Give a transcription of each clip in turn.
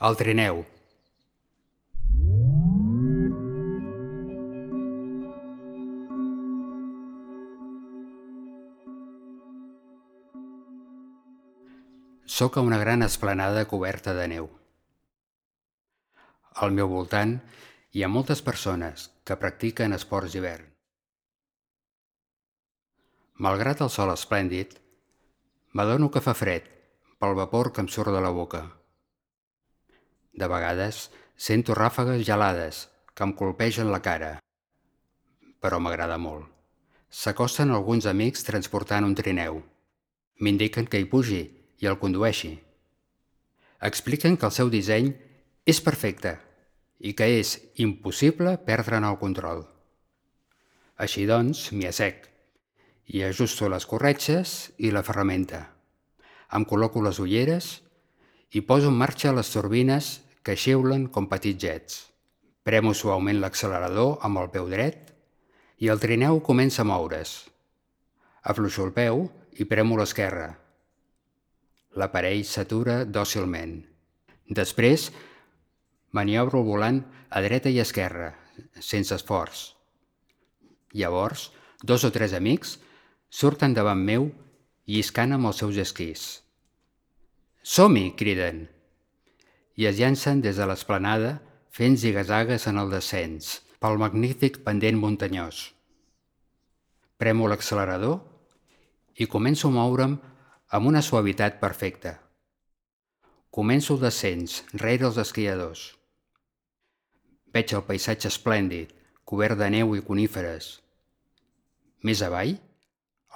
El trineu. Soc a una gran esplanada coberta de neu. Al meu voltant hi ha moltes persones que practiquen esports d'hivern. Malgrat el sol esplèndid, m'adono que fa fred pel vapor que em surt de la boca. De vegades sento ràfegues gelades que em colpegen la cara, però m'agrada molt. S'acosten alguns amics transportant un trineu. M'indiquen que hi pugi i el condueixi. Expliquen que el seu disseny és perfecte i que és impossible perdre'n el control. Així doncs, m'hi assec i ajusto les corretges i la ferramenta. Em col·loco les ulleres i poso en marxa les turbines que xiulen com petits jets. Premo suaument l'accelerador amb el peu dret i el trineu comença a moure's. Afluixo el peu i premo l'esquerra. L'aparell s'atura dòcilment. Després, maniobro el volant a dreta i esquerra, sense esforç. Llavors, 2 o 3 amics surten davant meu lliscant amb els seus esquís. «Som-hi!» criden, i es llancen des de l'esplanada fent ziga-zagues en el descens pel magnífic pendent muntanyós. Premo l'accelerador i començo a moure'm amb una suavitat perfecta. Començo el descens rere els esquiadors. Veig el paisatge esplèndid, cobert de neu i coníferes. Més avall,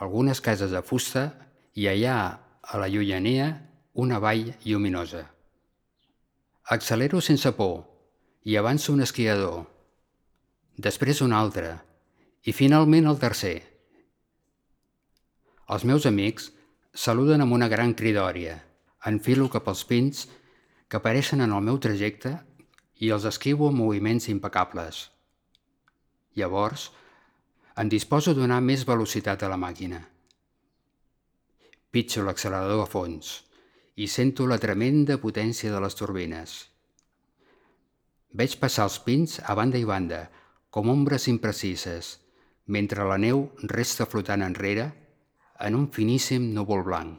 algunes cases de fusta i allà, a la llunyania, una vall lluminosa. Accelero sense por i avanço un esquiador, després un altre i finalment el tercer. Els meus amics saluden amb una gran cridòria. Enfilo cap als pins que apareixen en el meu trajecte i els esquivo amb moviments impecables. Llavors, em disposo a donar més velocitat a la màquina. Pitjo l'accelerador a fons i sento la tremenda potència de les turbines. Veig passar els pins a banda i banda, com ombres imprecises, mentre la neu resta flotant enrere en un finíssim núvol blanc.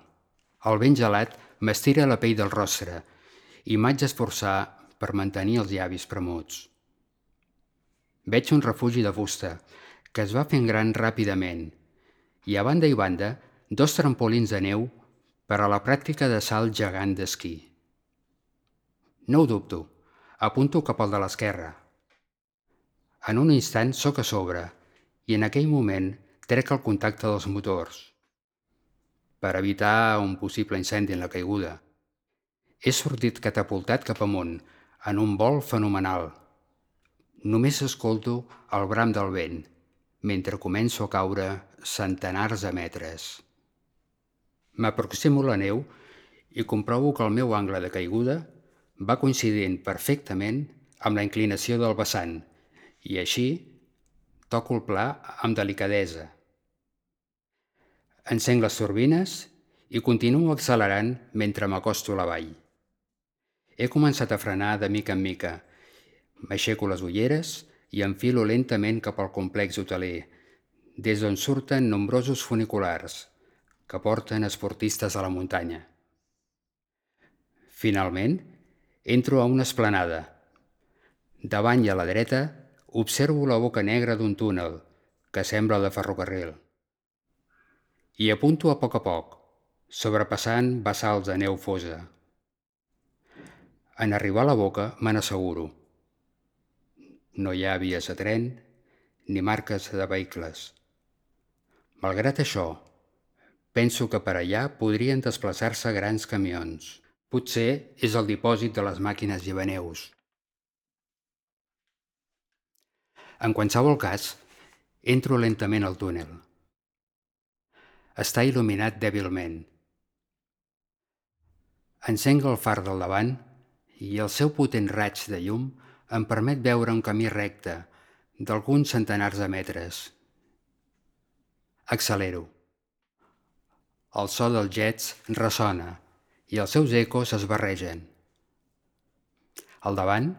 El vent gelat m'estira la pell del rostre i m'haig d'esforçar per mantenir els llavis premuts. Veig un refugi de fusta que es va fent gran ràpidament i a banda i banda 2 trampolins de neu per a la pràctica de salt gegant d'esquí. No ho dubto, apunto cap al de l'esquerra. En un instant sóc a sobre i en aquell moment trec el contacte dels motors per evitar un possible incendi en la caiguda. He sortit catapultat cap amunt, en un vol fenomenal. Només escolto el bram del vent, mentre començo a caure centenars de metres. M'aproximo a la neu i comprovo que el meu angle de caiguda va coincidint perfectament amb la inclinació del vessant i així toco el pla amb delicadesa. Encenc les turbines i continuo accelerant mentre m'acosto a la vall. He començat a frenar de mica en mica. M'aixeco les ulleres i enfilo lentament cap al complex hoteler, des d'on surten nombrosos funiculars que porten esportistes a la muntanya. Finalment, entro a una esplanada. Davant i a la dreta observo la boca negra d'un túnel que sembla de ferrocarril. I apunto a poc, sobrepassant bassals de neu fosa. En arribar a la boca me n'asseguro. No hi ha vies de tren ni marques de vehicles. Malgrat això, penso que per allà podrien desplaçar-se grans camions. Potser és el dipòsit de les màquines llevaneus. En qualsevol cas, entro lentament al túnel. Està il·luminat dèbilment. Encenc el far del davant i el seu potent raig de llum em permet veure un camí recte d'alguns centenars de metres. Accelero. El so dels jets ressona i els seus ecos es barregen. Al davant,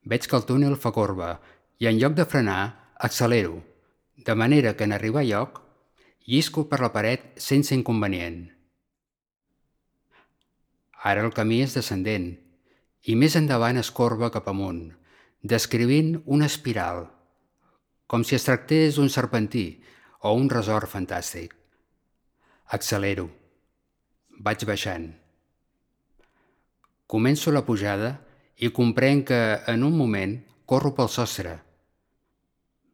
veig que el túnel fa corba i en lloc de frenar, accelero, de manera que en arribar a lloc, llisco per la paret sense inconvenient. Ara el camí és descendent i més endavant es corba cap amunt, descrivint una espiral, com si es tractés d'un serpentí o un resort fantàstic. Accelero. Vaig baixant. Començo la pujada i comprenc que, en un moment, corro pel sostre.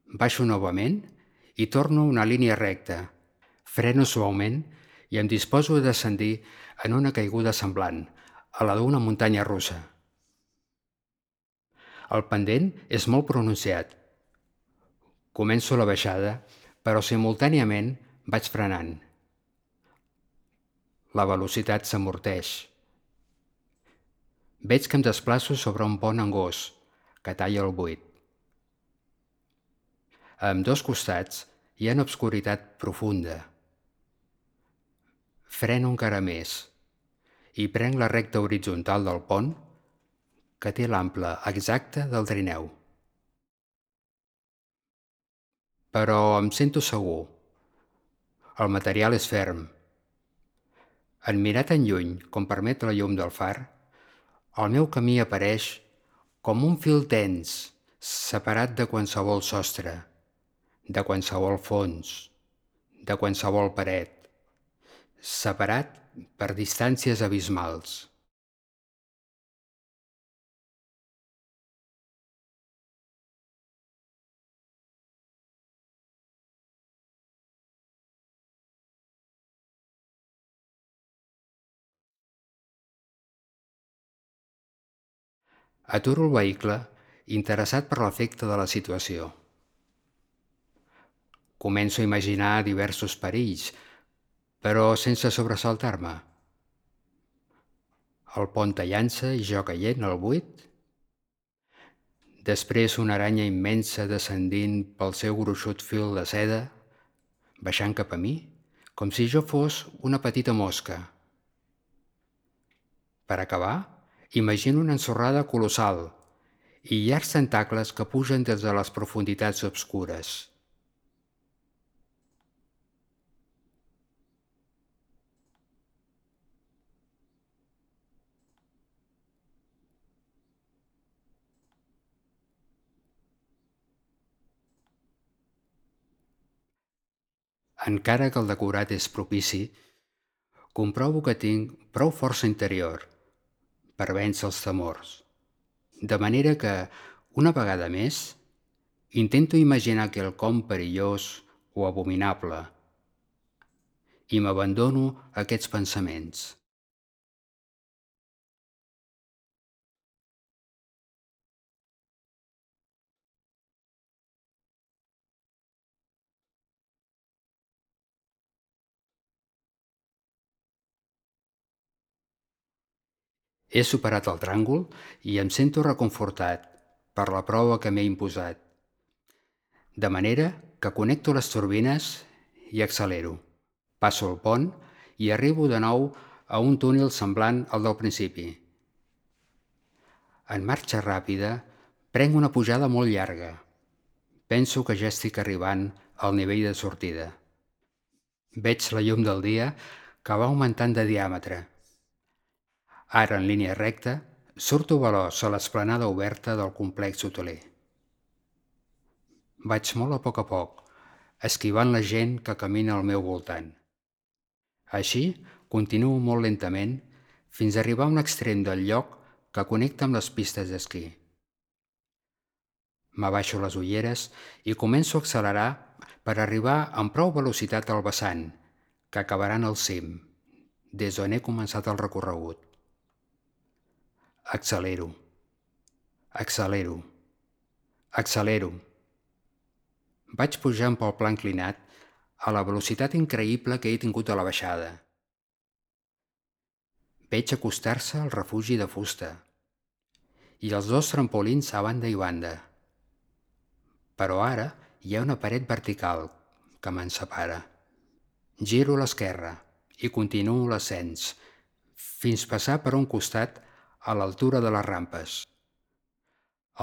Baixo novament i torno una línia recta. Freno suaument i em disposo a descendir en una caiguda semblant a la d'una muntanya russa. El pendent és molt pronunciat. Començo la baixada, però simultàniament vaig frenant. La velocitat s'amorteix. Veig que em desplaço sobre un pont angós que talla el buit. A ambdós costats hi ha una obscuritat profunda. Freno encara més i prenc la recta horitzontal del pont que té l'ample exacte del trineu. Però em sento segur. El material és ferm. En mirar tan lluny com permet la llum del far, el meu camí apareix com un fil tens, separat de qualsevol sostre, de qualsevol fons, de qualsevol paret, separat per distàncies abismals. Aturo el vehicle, interessat per l'efecte de la situació. Començo a imaginar diversos perills, però sense sobresaltar-me. El pont tallant-se i jo caient al buit. Després una aranya immensa descendint pel seu gruixut fil de seda, baixant cap a mi, com si jo fos una petita mosca. Per acabar, imagino una ensorrada colossal i llargs tentacles que pugen des de les profunditats obscures. Encara que el decorat és propici, comprovo que tinc prou força interior per vèncer els temors. De manera que, una vegada més, intento imaginar quelcom perillós o abominable i m'abandono a aquests pensaments. He superat el tràngol i em sento reconfortat per la prova que m'he imposat, de manera que connecto les turbines i accelero. Passo el pont i arribo de nou a un túnel semblant al del principi. En marxa ràpida, prenc una pujada molt llarga. Penso que ja estic arribant al nivell de sortida. Veig la llum del dia que va augmentant de diàmetre. Ara, en línia recta, surto veloç a l'esplanada oberta del complex hoteler. Vaig molt a poc, esquivant la gent que camina al meu voltant. Així, continuo molt lentament fins a arribar a un extrem del lloc que connecta amb les pistes d'esquí. M'abaixo les ulleres i començo a accelerar per arribar amb prou velocitat al vessant, que acabarà en el cim, des d'on he començat el recorregut. Accelero, accelero, accelero. Vaig pujant pel pla inclinat a la velocitat increïble que he tingut a la baixada. Veig acostar-se el refugi de fusta i els dos trampolins a banda i banda. Però ara hi ha una paret vertical que me'n separa. Giro a l'esquerra i continuo l'ascens, fins passar per un costat a l'altura de les rampes.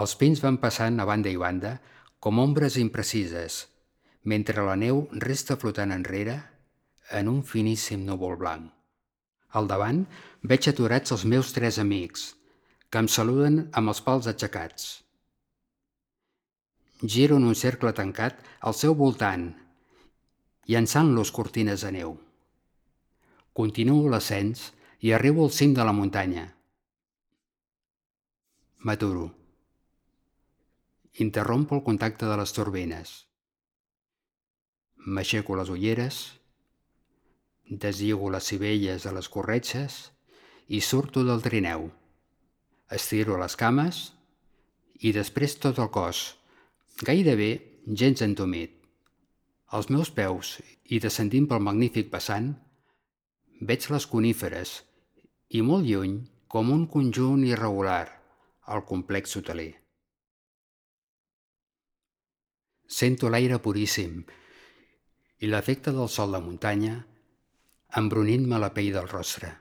Els pins van passant a banda i banda com ombres imprecises, mentre la neu resta flotant enrere en un finíssim núvol blanc. Al davant veig aturats els meus 3 amics, que em saluden amb els pals aixecats. Giro en un cercle tancat al seu voltant, llançant-los cortines de neu. Continuo l'ascens i arribo al cim de la muntanya. M'aturo. Interrompo el contacte de les turbines. M'aixeco les ulleres, deslligo les sivelles de les corretges i surto del trineu. Estiro les cames i després tot el cos, gairebé gens entumit. Als meus peus i descendint pel magnífic vessant, veig les coníferes i molt lluny, com un conjunt irregular, el complex hoteler. Sento l'aire puríssim i l'efecte del sol de muntanya embrunint-me la pell del rostre.